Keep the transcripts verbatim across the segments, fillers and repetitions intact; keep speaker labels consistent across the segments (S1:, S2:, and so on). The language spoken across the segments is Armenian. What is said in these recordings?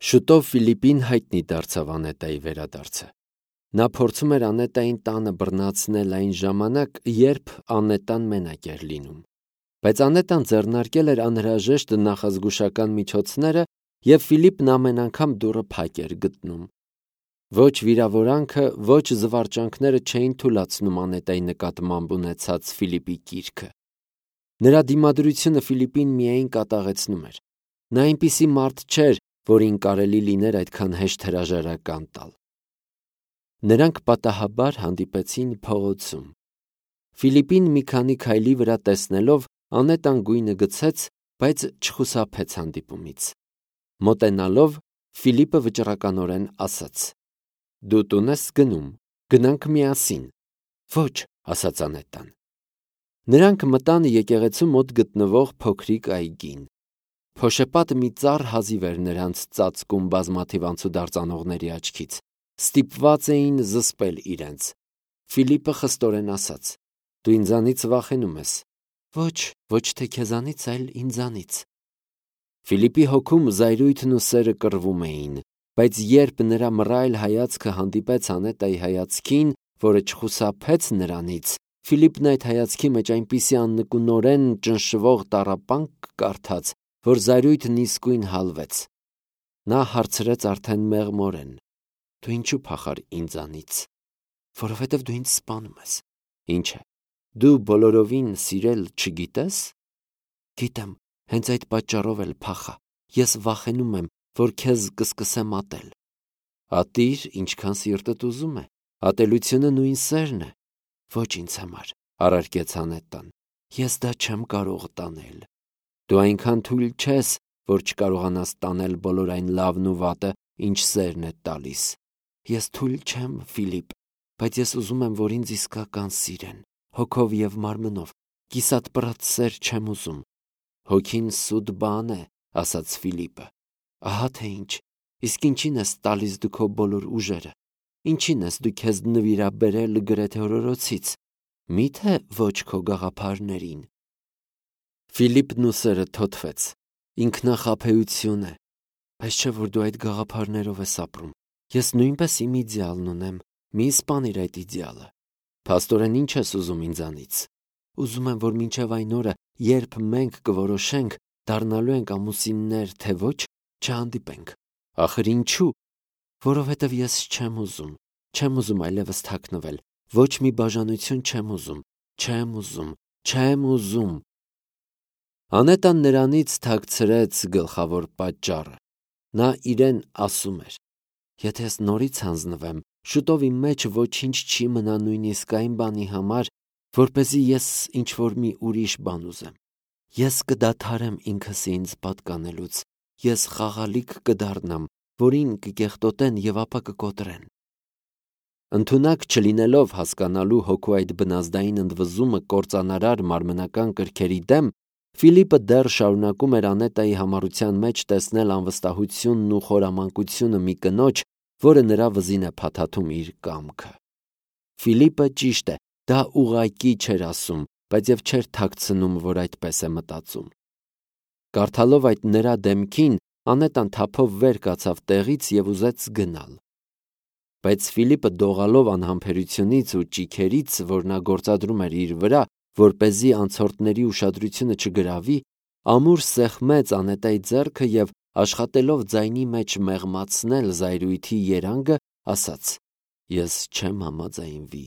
S1: Շուտով Ֆիլիպին հայտնի դարձավ Անետայի վերադարձը։ Նա փորձում էր Անետային տանը բռնացնել այն ժամանակ, երբ Անետան մենակ էր լինում։ Բայց Անետան ձեռնարկել էր անհրաժեշտ նախազգուշական միջոցները, և Ֆիլիպն ամեն անգամ դուռը փակ էր գտնում։ Ոչ վիրավորանքը, ոչ զվարճանքները չէին թուլացնում Անետայի նկատմամբ ունեցած Ֆիլիպի կիրքը։ Նրա դիմադրությունը Ֆիլիպին միայն կատաղեցնում էր։ Նա այնպիսի մարդ չէր, որին կարելի լիներ այդքան հեշտ հրաժարական տալ։ Նրանք պատահաբար հանդիպեցին փողոցում։ Ֆիլիպին մի քանի քայլի վրա տեսնելով, Անետան գույնը գցեց, բայց չխուսափեց հանդիպումից։ Մոտենալով, Ֆիլիպը վճռականորեն ասաց. «Դու տուն ես գնում, գնանք միասին»։ «Ոչ», ասաց Անետան։ Նրանք մտան եկեղեցու մոտ գտնվող փոքրիկ այգին։ Փոշեպատ մի ծառ հազիվ էր նրանց ծածկում բազմաթիվ անցուդարձ անողների աչքից։ Ստիպված էին զսպել իրենց։ Ֆիլիպը խստորեն ասաց. «Դու ինձանից վախենում ես»։ «Ոչ, ոչ թե քեզանից, այլ ինձանից»։ Ֆիլիպի հոգում զայրույթն ու սերը կռվում էին, բայց երբ նրա մռայլ հայացքը հանդիպեց Անետայի հայացքին, որը չխուսափեց նրանից, Ֆիլիպն այդ հայացքի մեջ այնպիսի աննկունորեն ճնշվող տառապանք կարդաց, որ զայրույթն իսկույն հալվեց։ Նա հարցրեց արդեն մեղմորեն. «Դու ինչու փախար ինձանից»։ «Որովհետև դու ինձ սպանում ես»։ «Ինչ է, դու բոլորովին սիրել չգիտես»։ «Գիտեմ, հենց այդ պատճառով էլ փախա։ Ես վախենում եմ, որ քեզ կսկսեմ ատել»։ «Ատիր, ինչքան սիրտդ ուզում է, ատելությունը նույն սերն է»։ «Ոչ ինձ համար», առարկեց Անետան, «ես դա չեմ կարող տանել»։ «Դու այնքան թույլ չես, որ չկարողանաս տանել բոլոր այն լավն ու վատը, ինչ սերն է տալիս»։ «Ես թույլ չեմ, Ֆիլիպ, բայց ես ուզում եմ, որ ինձ իսկական սիրեն, հոգով և մարմնով, կիսատ-պռատ սեր չեմ ուզում»։ «Հոգին սուտ բան է», ասաց Ֆիլիպը։ «Ահա թե ինչ, իսկ ինչին ես տալիս դու քո բոլոր ուժերը, ինչին ես դու քեզ նվիրաբերել գրեթե օրորոցից, մի՞թե ոչ քո գաղափարներին»։ Ֆիլիպն ուսերը թոթվեց։ Ինքնախաբեություն է։ «Այս չէ, որ դու այդ գաղափարներով ես ապրում։ Ես նույնպես իմ իդեալն ունեմ, մի սպանիր այդ իդեալը»։ «Փաստորեն ինչ ես ուզում ինձանից»։ «Ուզում եմ, որ մինչև այն օրը, երբ մենք կորոշենք, դառնալու ենք ամուսիններ, թե ոչ, չհանդիպենք»։ «Ախր ինչու»։ «Որովհետև ես չեմ ուզում, չեմ ուզում այլևս թաքնվել, ոչ մի բաժանություն չեմ ուզում, չեմ ուզում, չեմ ուզում»։ Անետան նրանից թաքցրեց գլխավոր պատճառը։ Նա իրեն ասում էր. «Եթե ես նորից հանձնվեմ, շուտով իմ մեջ ոչինչ չի մնա նույնիսկ այն բանի համար, որպեսզի ես ինչ-որ մի ուրիշ բան ուզեմ։ Ես կդադարեմ ինքս ինձ պատկանելուց, ես խաղալիք կդառնամ, որին կկեղտոտեն և ապա կկոտրեն»։ Ընդունակ չլինելով հասկանալու հոգու այդ բնազդային ընդվզումը կործանարար մարմնական կրքերի դեմ, Ֆիլիպը դեռ շարունակում էր Անետայի համառության մեջ տեսնել անվստահությունն ու խորամանկությունը մի կնոջ, որը նրա վզին է փաթաթում իր կամքը։ Ֆիլիպը, ճիշտ է, դա ուղղակի չէր ասում, բայց և չէր թաքցնում, որ այդպես է մտածում։ Կարդալով այդ նրա դեմքին, Անետան թափով վեր կացավ տեղից և ուզեց գնալ։ Բայց Ֆիլիպը դողալով անհամբերությունից ու ճիգերից, որ նա գործադրում էր իր վրա, որպեսզի անցորդների ուշադրությունը չգրավի, ամուր սեղմեց Անետայի ձեռքը և, աշխատելով ձայնի մեջ մեղմացնել զայրույթի երանգը, ասաց. «Ես չեմ համաձայնվի,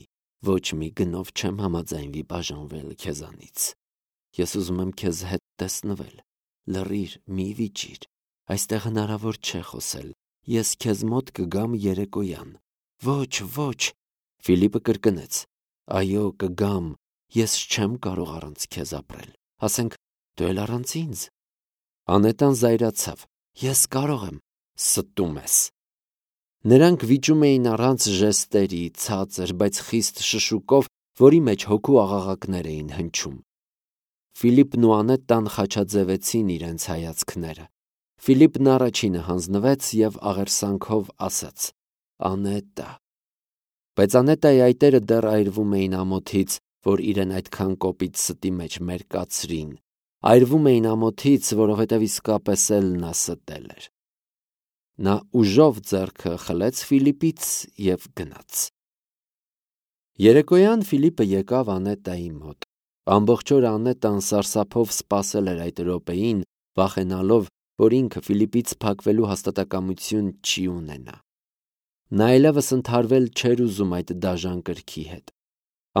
S1: ոչ մի գնով չեմ համաձայնվի բաժանվել քեզանից։ Ես ուզում եմ քեզ հետ տեսնվել։ Լռիր, մի վիճիր, այստեղ հնարավոր չէ խոսել, ես քեզ մոտ կգամ երեկոյան»։ «Ոչ, ոչ», Ֆիլիպը կրկնեց, «այո, կգամ, ես չեմ կարող առանց քեզ ապրել, ասենք դու էլ առանց ինձ»։ Անետան զայրացավ. «Ես կարող եմ»։ «Ստում ես»։ Նրանք վիճում էին առանց ժեստերի, ցածր, բայց խիստ շշուկով, որի մեջ հոգու աղաղակներ էին հնչում։ Ֆիլիպն ու Անետան խաչաձևեցին իրենց հայացքները։ Ֆիլիպն առաջինը հանձնվեց և աղերսանքով ասաց. «Անետա»։ Բայց Անետայի այտերը դեռ այրվում էին ամոթից, որ իրեն այդքան կոպիտ ստի մեջ մերկացրին, այրվում էին ամոթից, որովհետև իսկապես էլ նա ստել էր։ Նա ուժով ձեռքը խլեց Ֆիլիպից և գնաց։ Երեկոյան Ֆիլիպը եկավ Անետայի մոտ։ Ամբողջ օրը Անետան սարսափով սպասել էր այդ րոպեին, վախենալով, որ ինքը Ֆիլիպից փակվելու հաստատակամություն չի ունենա։ Նա այլևս ընդհարվել չէր ուզում այդ դաժան կրքի հետ։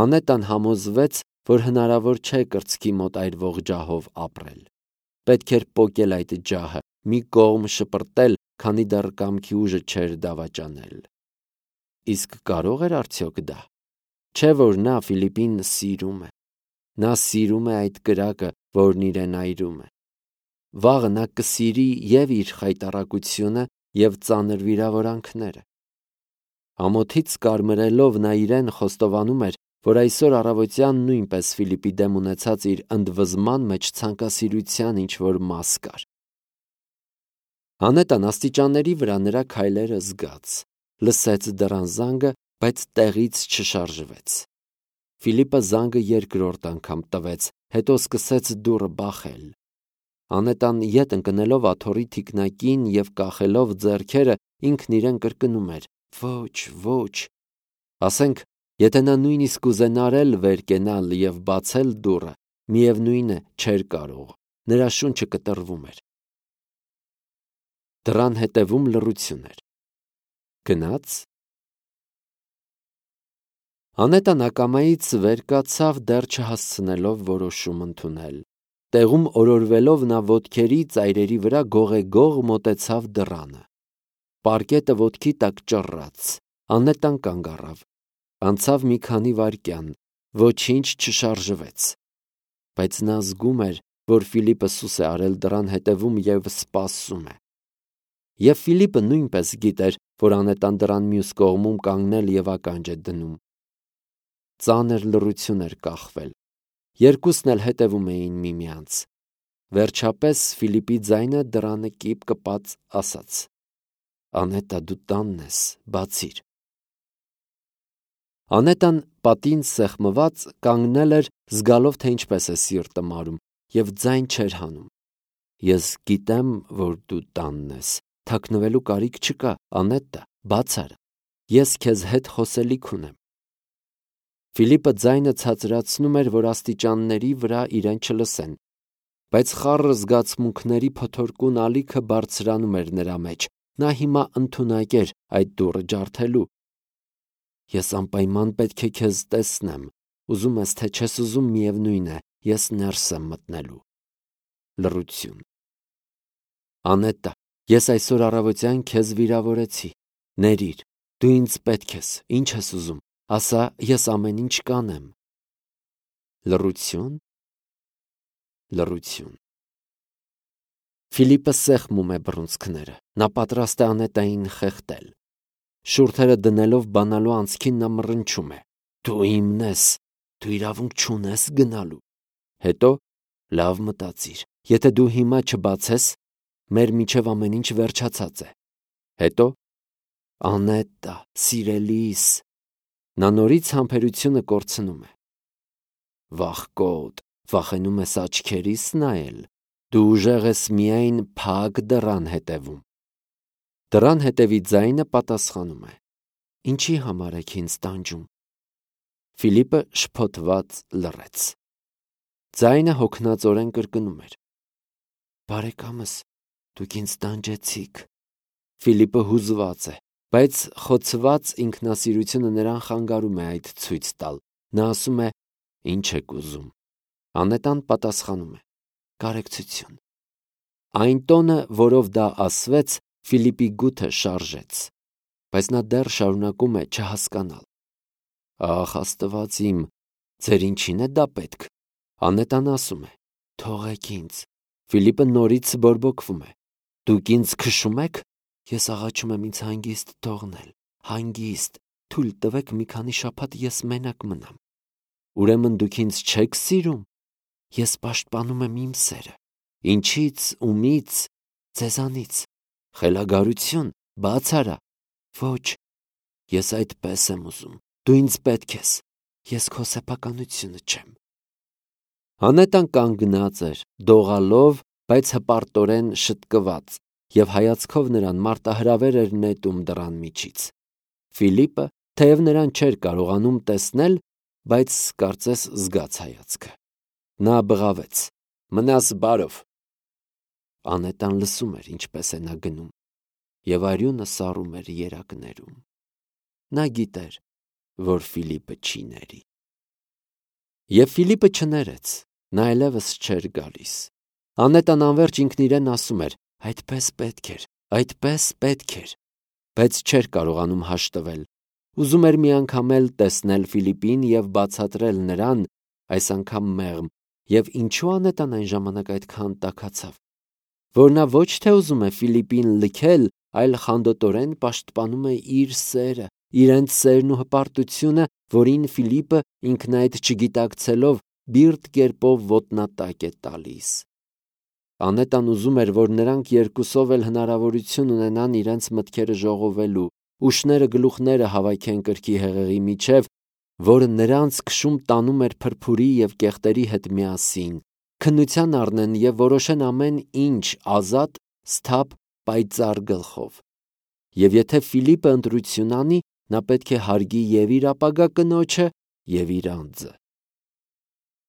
S1: Անետան համոզվեց, որ հնարավոր չէ կրծքի մոտ այրվող ջահով ապրել։ Պետք էր պոկել այդ ջահը, մի կողմ շպրտել, քանի դեռ կամքի ուժը չէր դավաճանել։ Իսկ կարո՞ղ էր արդյոք դա։ Չէ՞ որ նա Ֆիլիպին սիրում է։ Նա սիրում է այդ կրակը, որն իրեն այրում է։ Վաղը նա կսիրի և իր խայտառակությունը, և ծանր վիրավորանքները։ Ամոթից կարմրելով նա իրեն խոստովանում էր, որ այսօր առավոտյան նույնպես Ֆիլիպի դեմ ունեցած իր ընդվզման մեջ ցանկասիրության ինչ-որ մաս կար։ Անետան աստիճանների վրա նրա քայլերը զգաց, լսեց դռան զանգը, բայց տեղից չշարժվեց։ Ֆիլիպը զանգը երկրորդ անգամ տվեց, հետո սկսեց դուռը բախել։ Անետան ետ ընկնելով աթոռի թիկնակին և կախելով ձեռքերը, ինքն իրեն կրկնում էր. «Ոչ, ոչ»։ Ասենք, եթե նա նույնիսկ կուզենար էլ վեր կենալ և բացել դուռը, միևնույն է, չէր կարող, նրա շունչը կտրվում էր։ Դռան հետևում լռություն էր։ Գնա՞ց։ Անետան ակամայից վեր կացավ, դեռ չհասցնելով որոշում ընդունել։ Տեղում օրորվելով նա ոտքերի ծայրերի վրա գողեգող մոտեցավ դռանը։ Պարկետը ոտքի տակ ճռռաց։ Անետան կանգ առավ։ Անցավ մի քանի վայրկյան, ոչինչ չշարժվեց։ Բայց նա զգում էր, որ Ֆիլիպը սուս է արել դռան հետևում և սպասում է։ Եվ Ֆիլիպը նույնպես գիտեր, որ Անետան դռան մյուս կողմում կանգնել և ականջ է դնում։ Ծանր լռություն էր կախվել։ Երկուսն էլ հետևում էին միմյանց։ Վերջապես Ֆիլիպի ձայնը դռանը կիպ կպած ասաց. «Անետա, դու տանն ես, բացիր»։ Անետան պատին սեղմված կանգնել էր, զգալով, թե ինչպես է սիրտը մարում, և ձայն չէր հանում։ «Ես գիտեմ, որ դու տանն ես, թաքնվելու կարիք չկա, Անետա, բաց արա, ես քեզ հետ խոսելիք ունեմ»։ Ֆիլիպը ձայնը ցածրացնում էր, որ աստիճանների վրա իրեն չլսեն, բայց խառը զգացմունքների փոթորկուն ալիքը բարձրանում էր նրա մեջ։ Նա հիմա ընդունակ էր այդ դուռը ջարդելու։ «Ես անպայման պետք է քեզ տեսնեմ, ուզում ես, թե չես ուզում, միևնույն է, ես ներս եմ մտնելու»։ Լռություն։ «Անետա, ես այսօր առավոտյան քեզ վիրավորեցի, ներիր, դու ինձ պետք ես, ինչ ես ուզում, ասա, ես ամեն ինչ կանեմ»։ Լռություն։ Լռություն։ Ֆիլիպը սեղմում է բռունցքները։ Նա պատրաստ է Անետային խեղդել։ Շուրթերը դնելով բանալու անցքին նա մռնչում է. «Դու իմն ես, դու իրավունք չունես գնալու»։ Հետո. «Լավ մտածիր, եթե դու հիմա չբացես, մեր միջև ամեն ինչ վերջացած է»։ Հետո. «Անետա, սիրելիս»։ Նա նորից համբերությունը կորցնում է։ Վախկոտ, վախենում ես աչքերիս նայել, դու ուժեղ ես միայն փակ դռան հետևում։ Դռան հետևի ձայնը պատասխանում է. «Ինչի համար եք ինձ տանջում»։ Ֆիլիպը շփոթված լռեց։ Ձայնը հոգնածորեն կրկնում էր. «Բարեկամս, դուք ինձ տանջեցիք»։ Ֆիլիպը հուզված է, բայց խոցված ինքնասիրությունը նրան խանգարում է այդ ցույց տալ։ Նա ասում է. «Ինչ եք ուզում»։ Անետան պատասխանում է. «Կարեկցություն»։ Այն տոնը, որով դա ասվեց, Ֆիլիպի գութը շարժեց, բայց նա դեռ շարունակում է չհասկանալ։ «Ախ, Աստված իմ, ձեր ինչին է դա պետք»։ Անետան ասում է. «Թողեք ինձ»։ Ֆիլիպը նորից բորբոքվում է. «Դուք ինձ քշում եք»։ Ես աղաչում եմ ինձ հանգիստ թողնել, հանգիստ, թույլ տվեք մի քանի շաբաթ ես մենակ մնամ։ Ուրեմն դուք ինձ չեք սիրում։ Ես պաշտպանում եմ իմ սերը։ Ինչից, ումից, ձեզանից։ Խելագարություն, բաց արա։ Ոչ, ես այդպես եմ ուզում։ Դու ինձ պետք ես։ Ես քո սեփականությունը չեմ։ Անետան կանգնած էր, դողալով, բայց հպարտորեն շտկված, և հայացքով նրան մարտահրավեր էր նետում դռան միջից։ Ֆիլիպը, թեև նրան չէր կարողանում տեսնել, բայց կարծես զգաց հայացքը։ Նա բղավեց. «Մնաս բարով»։ Անետան լսում էր, ինչպես է նա գնում, և արյունը սառում էր երակներում։ Նա գիտեր, որ Ֆիլիպը չի ների։ Եվ Ֆիլիպը չներեց, նա այլևս չէր գալիս։ Անետան անվերջ ինքն իրեն ասում էր. «Այդպես պետք էր, այդպես պետք էր», բայց չէր կարողանում հաշտվել։ Ուզում էր մի անգամ էլ տեսնել Ֆիլիպին և բացատրել նրան, այս անգամ մեղմ, և ինչու Անետան այն ժամանակ այդքան տաքացավ, որ նա ոչ թե ուզում է Ֆիլիպին լքել, այլ խանդոտորեն պաշտպանում է իր սերը, իրենց սերն ու հպարտությունը, որին Ֆիլիպը, ինքն այդ չգիտակցելով, բիրտ կերպով ոտնատակ է տալիս։ Անետան ուզում էր, որ նրանք երկուսով էլ հնարավորություն ունենան իրենց մտքերը ժողովելու, ուշները գլուխները հավաքեն կրքի հեղեղի միջև, որը նրանց քշում տանում էր փրփուրի և կեղտերի հետ միասին, քննության առնեն և որոշեն ամեն ինչ ազատ, սթափ, պայծառ գլխով։ Եվ եթե Ֆիլիպը ընտրություն անի, նա պետք է հարգի և իր ապագա կնոջը, և իր անձը։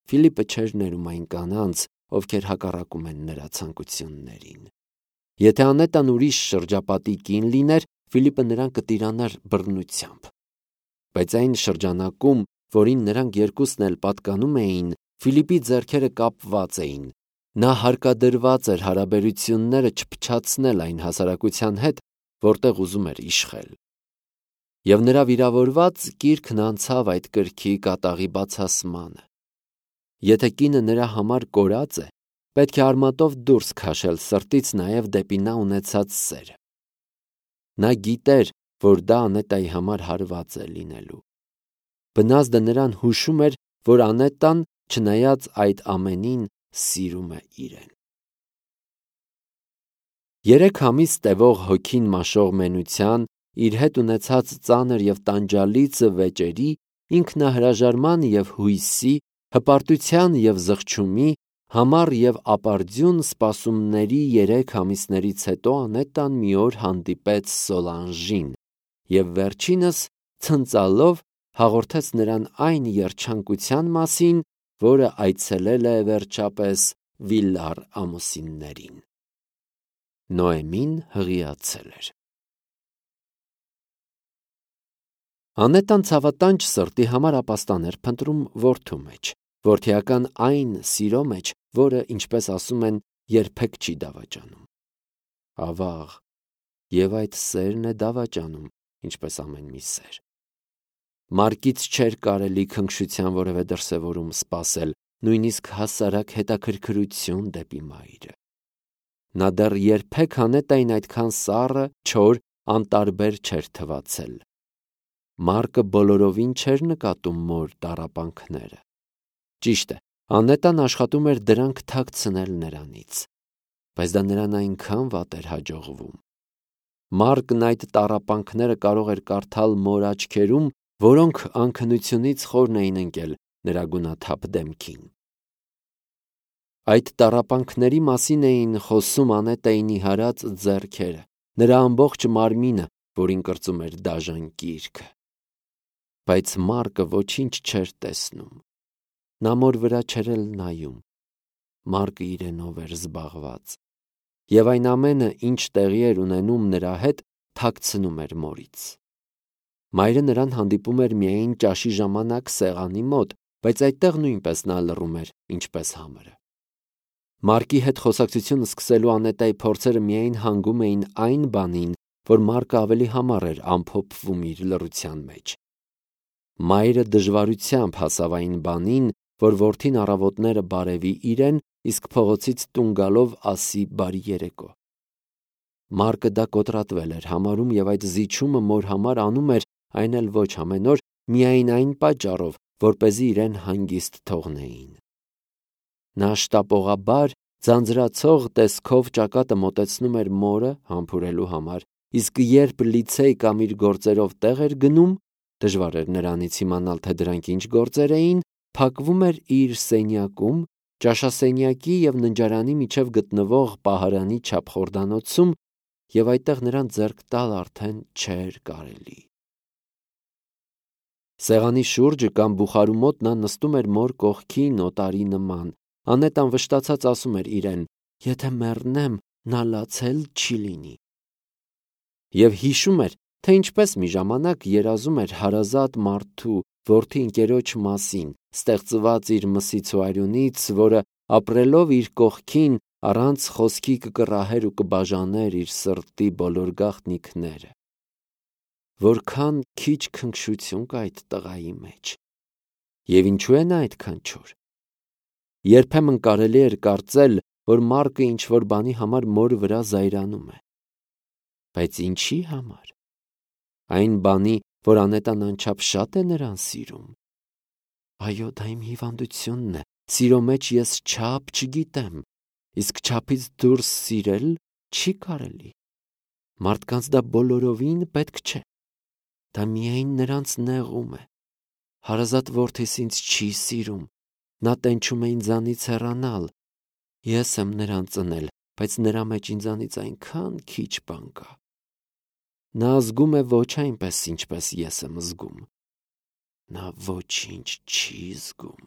S1: Ֆիլիպը չէր ներում այն կանանց, ովքեր հակառակում են նրա ցանկություններին։ Եթե Անետան ուրիշ շրջապատի կին լիներ, Ֆիլիպը նրան կտիրանար բռնությամբ։ Բայց այն շրջանակում, որին նրանք երկուսն էլ պատկանում էին, Ֆիլիպի ձեռքերը կապված էին։ Նա հարկադրված էր հարաբերությունները չփչացնել այն հասարակության հետ, որտեղ ուզում էր իշխել։ Եվ նրա վիրավորված կիրքն անցավ այդ կրքի կատաղի բացասմանը։ Եթե կինը նրա համար կորած է, պետք է արմատով դուրս քաշել սրտից նաև դեպի նա ունեցած սերը։ Նա գիտեր, որ դա Անետայի համար հարված է լինելու։ Բնազդը նրան հուշում էր, որ Անետան, չնայած այդ ամենին, սիրում է իրեն։ Երեք ամիս տևող հոգին մաշող մենության, իր հետ ունեցած ծանր և տանջալից վեճերի, ինքնահրաժարման և հույսի, հպարտության և զղջումի, համառ և ապարդյուն սպասումների երեք ամիսներից հետո Անետան մի օր հանդիպեց Սոլանժին և վերջինս ցնծալով հաղորդեց նրան այն երջանկության մասին, որը այցելել է վերջապես Վիլար ամուսիններին։ Նոեմին հղիացել էր։ Անետան ցավատանջ սրտի համար ապաստան էր փնտրում որդու մեջ, որդիական այն սիրո մեջ, որը, ինչպես ասում են, երբեք չի դավաճանում։ Ավաղ, և այդ սերն է դավաճանում, ինչպես ամեն մի սեր։ Մարկից չէր կարելի քնքշության որևէ դրսևորում սպասել, նույնիսկ հասարակ հետաքրքրություն դեպի մայրը։ Նա դեռ երբեք Անետային այդքան սառը, չոր, անտարբեր չէր թվացել։ Մարկը բոլորովին չէր նկատում մոր տառապանքները։ Ճիշտ է, Անետան աշխատում էր դրանք թաքցնել նրանից, բայց դա նրան այնքան վատ էր հաջողվում։ Մարկն այդ տառապանքները կարող էր կարդալ մոր աչքերում, որոնք անքնությունից խորն էին ընկել նրա գունաթափ դեմքին։ Այդ տառապանքների մասին էին խոսում Անետայի նիհարած ձեռքերը, նրա ամբողջ մարմինը, որին կրծում էր դաժան կիրքը։ Բայց Մարկը ոչինչ չէր տեսնում։ Նա մոր վրա չէր էլ նայում։ Մարկը իրենով էր զբաղված։ Եվ այն ամենը, ինչ տեղի էր ունենում նրա հետ, թաքցնում էր մորից։ Մայրը նրան հանդիպում էր միայն ճաշի ժամանակ սեղանի մոտ, բայց այդտեղ նույնպես նա լռում էր, ինչպես համրը։ Մարկի հետ խոսակցություն սկսելու Անետայի փորձերը միայն հանգում էին այն բանին, որ Մարկը ավելի համառ էր ամփոփվում իր լռության մեջ։ Մայրը դժվարությամբ հասավ այն բանին, որ որդին առավոտները բարևի իրեն, իսկ փողոցից տուն գալով ասի բարի երեկո։ Մարկը դա կոտրատվել էր համարում և այդ զիջումը մոր համար անում էր, այն էլ ոչ ամեն օր, միայն այն պատճառով, որպեսզի իրեն հանգիստ թողնեին։ Նա շտապողաբար, ձանձրացող տեսքով ճակատը մոտեցնում էր մորը համբուրելու համար, իսկ երբ լիցեյ կամ իր գործերով տեղ էր գնում, դժվար էր նրանից իմանալ, թե դրանք ինչ գործեր էին, փակվում էր իր սենյակում, ճաշասենյակի և ննջարանի միջև գտնվող պահարանի չափ խորդանոցում և այդտեղ նրան ձեռք տալ արդեն չէր կարելի։ Սեղանի շուրջը կամ բուխարու մոտ նա նստում էր մոր կողքին օտարի նման։ Անետան վշտացած ասում էր իրեն. «Եթե մեռնեմ, նա լացել չի լինի»։ Եվ հիշում էր, թե ինչպես մի ժամանակ երազում էր հարազատ մարդու որդի ընկերոջ մասին, ստեղծված իր մսից ու արյունից, որը ապրելով իր կողքին առանց խոսքի կկռահեր ու կբաժաներ իր սրտի բոլոր գաղտնիքները։ Որքան քիչ քնքշություն կա այդ տղայի մեջ։ Եվ ինչու է նա այդքան չոր։ Երբեմն կարելի էր կարծել, որ Մարկը ինչ-որ բանի համար մոր վրա զայրանում է։ Բայց ինչի համար։ Այն բանի, որ Անետան անչափ շատ է նրան սիրում։ Այո, դա իմ հիվանդությունն է, սիրո մեջ ես չափ չգիտեմ, իսկ չափից դուրս սիրել չի կարելի։ Մարդկանց դա բոլորովին պետք չէ։ Դա միայն նրանց նեղում է։ Հարազատ որդիս ինձ չի սիրում, նա տենչում է ինձանից հեռանալ։ Ես եմ նրան ծնել, բայց նրա մեջ ինձանից այնքան քիչ բան կա։ Նա զգում է ոչ այնպես, ինչպես ես եմ զգում։ Նա ոչինչ չի զգում։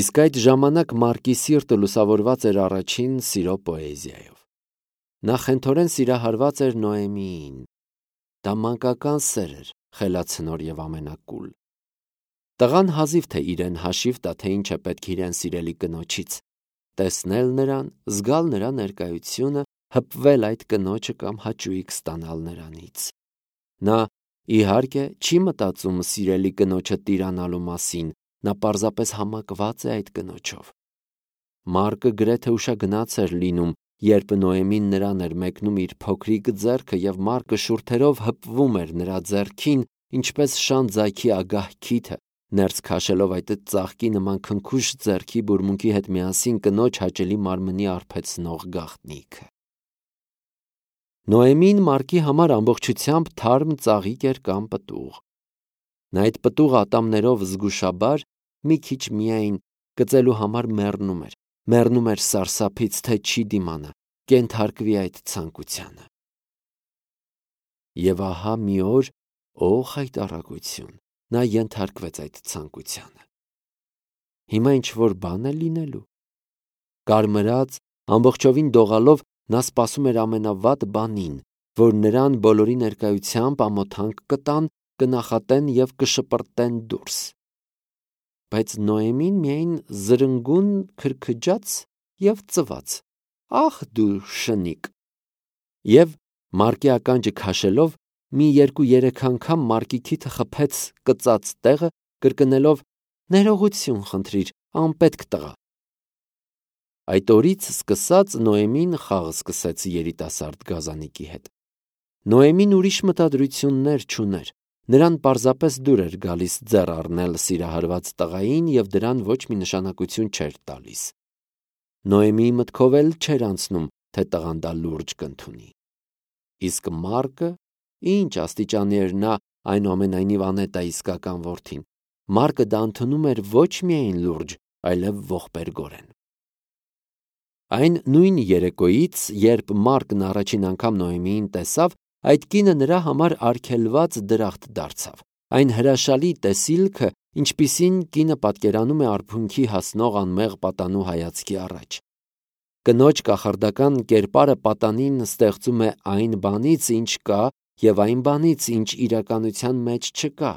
S1: Իսկ այդ ժամանակ Մարկի սիրտը լուսավորված էր առաջին սիրո պոեզիայով։ Նա խենթորեն սիրահարված էր Նոեմիին։ Դա մանկական սեր էր, խելացնոր և ամենակուլ։ Տղան հազիվ թե իրեն հաշիվ տա, թե ինչ է պետք իրեն սիրելի կնոջից։ Տեսնել նրան, զգալ նրա ներկայությունը, հպվել այդ կնոջը կամ հաճույք ստանալ նրանից։ Նա, իհարկե, չի մտածում սիրելի կնոջը տիրանալու մասին, նա պարզապես համակված է այդ կնոջով։ Մարկը գրեթե ուշագնաց էր լինում, երբ Նոեմին նրան էր մեկնում իր փոքրիկ ձեռքը և Մարկը շուրթերով հպվում էր նրա ձեռքին, ինչպես շան ձագի ագահ քիթը, ներս քաշելով այդ ծաղկի նման քնքուշ ձեռքի բուրմունքի հետ միասին կնոջ հաճելի մարմնի արբեցնող գաղտնիքը։ Նոեմին Մարկի համար ամբողջությամբ թարմ ծաղիկ էր կամ պտուղ։ Նա այդ պտուղ ատամներով զգուշաբար, մի քիչ միայն, կծելու համար մեռնում էր, մեռնում էր սարսափից, թե չի դիմանա, կենթարկվի այդ ցանկությանը։ Եվ ահա մի օր, օ՜ղ այդ արագություն, նա ենթարկվեց այդ ցանկությանը։ Հիմա ինչ-որ բան է լինելու։ Կարմրած, ամբողջովին դողալով նա սպասում էր ամենավատ բանին, որ նրան բոլորի ներկայությամբ ամոթանք կտան, կնախատեն և կշպրտեն դուրս։ Բայց Նոեմին միայն զրնգուն քրքջաց և ծվաց. «Ախ դու շնիկ»։ Եվ Մարկի ականջը քաշելով մի երկու-երեք անգամ Մարկի քիթը խփեց կծած տեղը, կրկնելով. «Ներողություն խնդրիր, անպետք տղա»։ Այդ օրից սկսած Նոեմին խաղ սկսեց երիտասարդ գազանիկի հետ։ Նոեմին ուրիշ մտադրություններ չուներ։ Նրան պարզապես դուր էր գալիս ձեռ առնել սիրահարված տղային և դրան ոչ մի նշանակություն չէր տալիս։ Նոեմիի մտքով էլ չէր անցնում, թե տղան դա լուրջ կընդունի։ Իսկ Մարկը, ինչ աստիճանի էր նա այնուամենայնիվ Անետայի իսկական որդին, Մարկը դա ընդունում էր ոչ միայն լուրջ, այլև ողբերգորեն։ Այն նույն երեկոյից, երբ Մարկն առաջին անգամ Նոեմիին տեսավ, այդ կինը նրա համար արգելված դրախտ դարձավ։ Այն հրաշալի տեսիլքը, ինչպիսին կինը պատկերանում է արփունքի հասնող անմեղ պատանու հայացքի առաջ։ Կնոջ կախարդական կերպարը պատանին ստեղծում է այն բանից, ինչ կա, և այն բանից, ինչ իրականության մեջ չկա,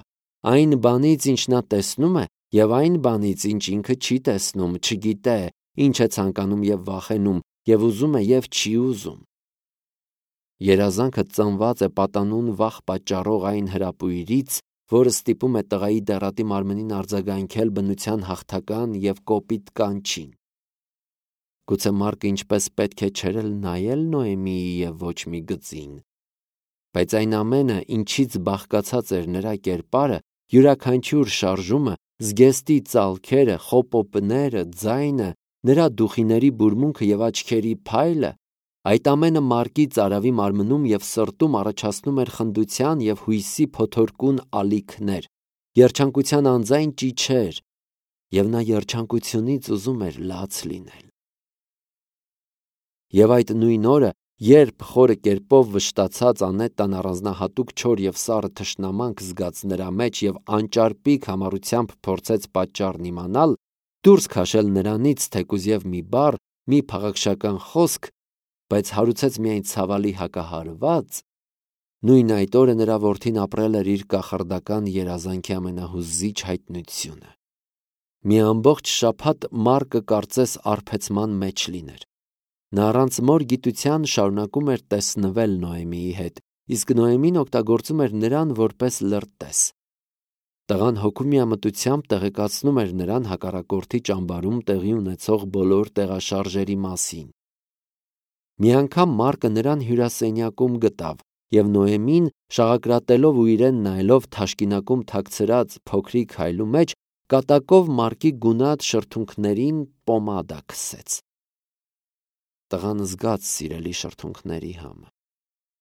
S1: այն բանից, ինչ նա տեսնում է, և այն բանից, ինչ ինքը չի տեսնում, չգիտե, ինչ է ցանկանում և վախենում, և ուզում է և չի ուզում։ Երազանքը ծնված է պատանուն վախ պատճառող այն հրապույրից, որը ստիպում է տղայի դեռատի մարմնին արձագանքել բնության հաղթական և կոպիտ կանչին։ Գուցե Մարկը ինչպես պետք է չէր էլ նայել Նոեմիի և ոչ մի գծին։ Բայց այն ամենը, ինչից բաղկացած էր նրա կերպարը, յուրաքանչյուր շարժումը, զգեստի ծալքերը, խոպոպները, ձայնը, նրա դուխիների բուրմունքը և աչքերի փայլը, այդ ամենը Մարկի ծարավի մարմնում և սրտում առաջացնում էր խնդության և հույսի փոթորկուն ալիքներ, երջանկության անձայն ճիչեր, և նա երջանկությունից ուզում էր լաց լինել։ Եվ այդ նույն օրը Երբ խորը կերպով վշտացած Անետան առանձնահատուկ չոր և սառը թշնամանք զգաց նրա մեջ և անճարպիկ համառությամբ փորձեց պատճառն իմանալ, դուրս քաշել նրանից թեկուզ և մի բառ, մի փաղաքշական խոսք, բայց հարուցեց միայն ցավալի հակահարված, նույն այդ օրը նրա որդին ապրել էր իր կախարդական երազանքի ամենահուզիչ հայտնությունը։ Մի ամբողջ շաբաթ Մարկը կարծես արբեցման մեջ լիներ։ Նա առանց մոր գիտության շարունակում էր տեսնվել Նոեմիի հետ, իսկ Նոեմին օգտագործում էր նրան որպես լրտես։ Տղան հոգու միամտությամբ տեղեկացնում էր նրան հակառակորդի ճամբարում տեղի ունեցող բոլոր տեղաշարժերի մասին։ Մի անգամ Մարկը նրան հյուրասենյակում գտավ, և Նոեմին, շաղակրատելով ու իրեն նայելով թաշկինակում թաքցրած փոքրիկ հայլու մեջ, կատակով Մարկի գունատ շրթունքներին պոմադա քսեց։ Տղան զգաց սիրելի շրթունքների համը։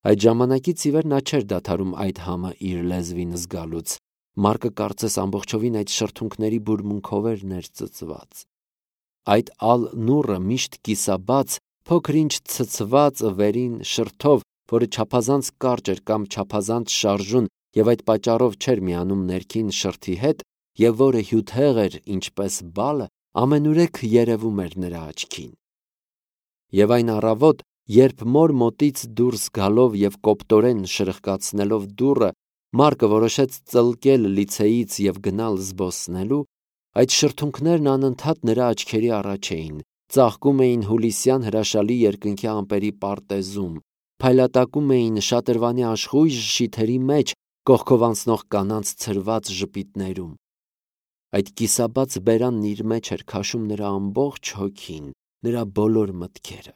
S1: Այդ ժամանակից ի վեր նա չէր դադարում այդ համը իր լեզվին զգալուց։ Մարկը կարծես ամբողջովին այդ շրթունքների բուրմունքով էր ներծծված։ Այդ ալ նուռը միշտ կիսաբաց, փոքր-ինչ ցցված վերին շրթով, որը չափազանց կարճ էր կամ չափազանց շարժուն և այդ պատճառով չէր միանում ներքին շրթի հետ, և որը հյութեղ էր ինչպես բալը, ամենուրեք երևում էր նրա աչքին։ Եվ այն առավոտ, երբ մոր մոտից դուրս գալով և կոպտորեն շրխկացնելով դուռը, Մարկը որոշեց ծլկել լիցեից և գնալ զբոսնելու, այդ շրթունքներն անընդհատ նրա աչքերի առաջ էին, ծաղկում էին հուլիսյան հրաշալի երկնքի ամպերի պարտեզում, փայլատակում էին շատրվանի աշխույժ շիթերի մեջ, կողքով անցնող կանանց ցրված ժպիտներում։ Այդ կիսաբաց բերանն իր մեջ էր քաշում նրա ամբողջ հոգին, նրա բոլոր մտքերը։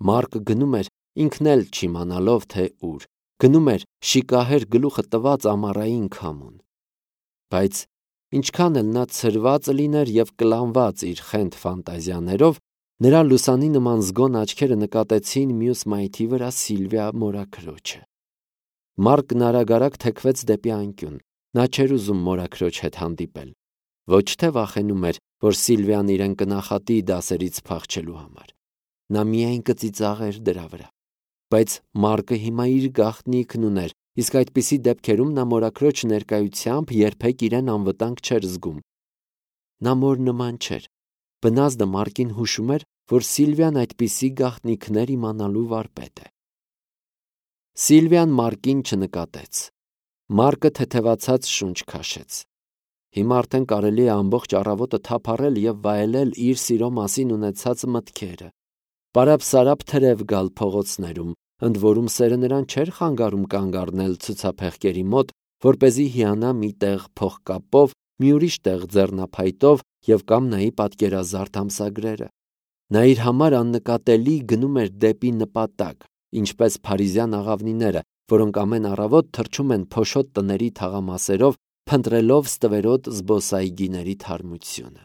S1: Մարկը գնում էր, ինքն էլ չիմանալով, թե ուր, գնում էր շիկահեր գլուխը տված ամառային քամուն։ Բայց ինչքան էլ նա ցրված լիներ և կլանված իր խենթ ֆանտազիաներով, նրա լուսանի նման զգոն աչքերը նկատեցին մյուս մայթի վրա Սիլվիա մորաքրոջը։ Մարկն արագ-արագ թեքվեց դեպի անկյուն։ Նա չէր ուզում մորաքրոջ հետ հանդիպել։ Ոչ թե վախենում էր, որ Սիլվիան իրեն կնախատի դասերից փախչելու համար։ Նա միայն կծիծաղեր դրա վրա։ Բայց Մարկը հիմա իր գաղտնիքն ուներ, իսկ այդպիսի դեպքերում նա մորաքրոջ ներկայությամբ երբեք իրեն անվտանգ չէր զգում։ Նա մոր նման չէր։ Բնազդը Մարկին հուշում էր, որ Սիլվիան այդպիսի գաղտնիքներ իմանալու վարպետ է։ Սիլվիան Մարկին չնկատեց։ Մարկը թեթևացած շունչ քաշեց։ Հիմա արդեն կարելի է ամբողջ առավոտը թափառել և վայելել իր սիրո մասին ունեցած մտքերը, պարապ-սարապ թրև գալ փողոցներում, ընդ որում սերը նրան չէր խանգարում կանգ առնել ցուցափեղկերի մոտ, որպեսզի հիանա մի տեղ փողկապով, մի ուրիշ տեղ ձեռնափայտով և կամ նայի պատկերազարդ ամսագրերը։ Նա իր համար աննկատելի գնում էր դեպի նպատակ, ինչպես փարիզյան աղավնիները, որոնք ամեն առավոտ թռչում են փոշոտ տների թաղամասերով, փնտրելով ստվերոտ զբոսայգիների թարմությունը։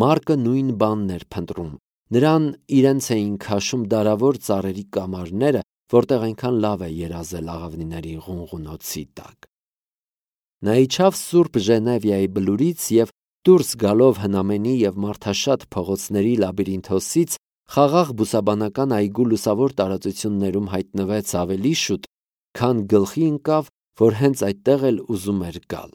S1: Մարկը նույն բանն էր փնտրում։ Նրան իրենց էին քաշում դարավոր ծառերի կամարները, որտեղ այնքան լավ է երազել աղավնիների ղունղունոցի տակ։ Նա իջավ Սուրբ Ժենևիայի բլուրից և դուրս գալով հնամենի և մարդաշատ փողոցների լաբիրինթոսից խաղաղ բուսաբանական այգու լուսավոր տարածություններում հայտնվեց ավելի շուտ, քան գլխի ընկավ, որ հենց այդտեղ էլ ուզում էր գալ։